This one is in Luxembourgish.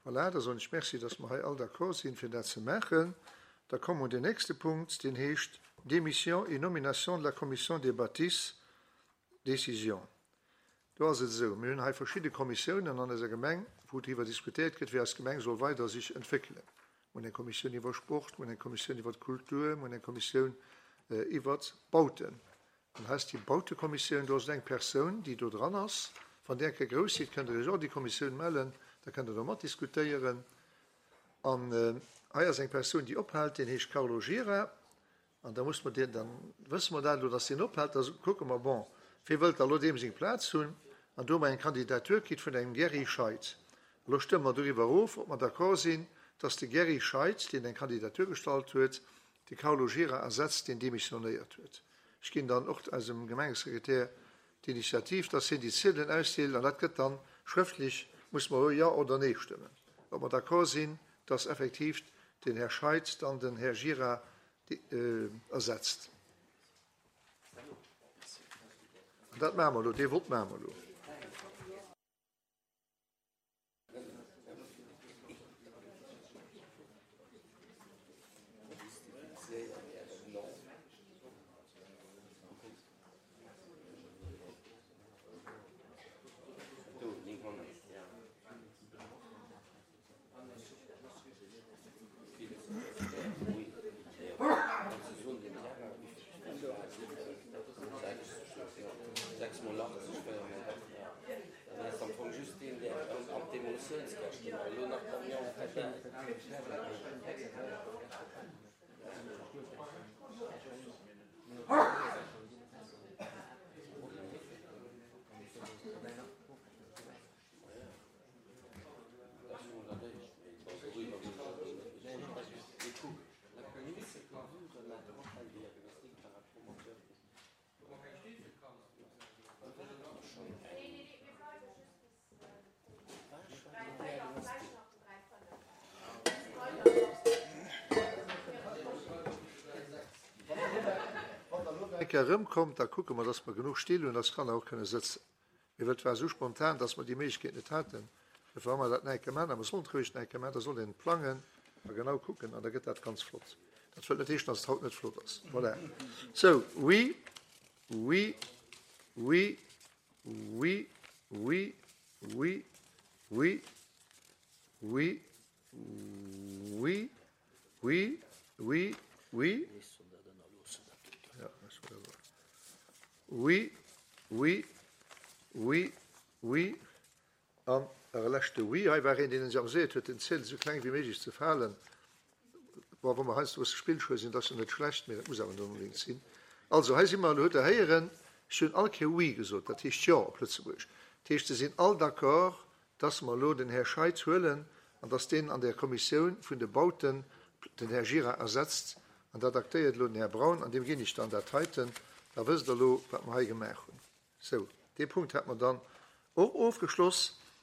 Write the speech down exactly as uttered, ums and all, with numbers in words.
Voilà, da soen ech Merci, dass mer hei all d'accord sinn, fir dat ze maachen. Da komme mer un den nächste Punkt, deen heescht Démission et nomination de la Commission des bâtisses, décision. Do ass et esou, mir hunn hei verschidde Kommissiounen an eiser Gemeng, wou driwwer diskutéiert gëtt, wéi eis Gemeng soll weider sech entwéckelen. Mir hunn eng Kommissioun iwwer Sport, mir hunn eng Kommissioun iwwer d'Kultur, mir hunn eng Kommissioun iwwer d'Bauten. An hei ass déi Bautekommissioun, do ass et eng Persoun, déi do dran ass. Wann Dir eng Kéier grouss sidd, kënnt Der Iech och an déi Kommissioun mellen, da kënnt Der do matdiskutéieren. An hei ass eng Persoun, déi ophält, deen heescht Carlo Gira. An da muss mer deen, da wësse mer dat elo, dass deen ophält, da kucke mer, bon, wie wëllt da elo deem seng Plaz hunn? An do hu mer eng Kandidatur kritt vun engem Gerry Scheid. Elo stëmme mer doriwwer erof, ob mer d'accord sinn, dass de Gerry Scheid, deen eng Kandidatur gestallt huet, de Carlo Gira ersetzt, deen demissionéiert huet. Ech ginn dann och eisem Gemengesekretär d'Initiativ, dass hien déi Ziedelen ausdeelt, an dat gëtt dann schrëftlech, muss mer elo Jo oder Nee stëmmen, ob mer d'accord sinn, dass effektiv den Här Scheid dann den Här Gira ersetzt. An dat maache mer elo, dee Vott maache mer elo. Wann Der elo nach eng Kéier erëmkommt, da kucke mer, dass mer genuch Still hunn, dass d'Kanner och kënne sëtzen. Mee well et war esou spontan, dass mer déi Méiglechkeet net haten, dofir hu mer dat nach eng Kéier gemaach. A mer sollen et roueg nach eng Kéier maachen, da soll een plangen a genau kucken an da gëtt dat ganz flott. Dat wëllt net heeschen, dass et haut net flott ass. Voilà. Sou, oui, oui, oui, oui, oui, oui, oui, oui, oui, oui, oui, oui, oui, oui, oui, oui an e leschte Oui. Hei war een, deen sech amuséiert huet, den Ziedel esou kleng wéi méiglech ze falen. Bon, wa mer heiansdo e bësse spillscheu sinn, dat ass jo net schlecht, mee dat muss awer net onbedéngt sinn. Also, hei si mer, elo hutt Der héieren, ech hunn all Kéier Oui gesot, dat heescht Jo op Lëtzebuergesch. Dat heescht, se sinn all d'accord, dass mer elo den Här Scheid huelen an dass deen an där Kommissioun vun de Bauten den Här Gira ersetzt. An dat aktéiert elo den Här Braun an deem ginn ech dann dat heiten. Da wësst Der elo, wat mer hei gemaach hunn. Sou, dee Punkt hätte mer dann och ofgeschloss.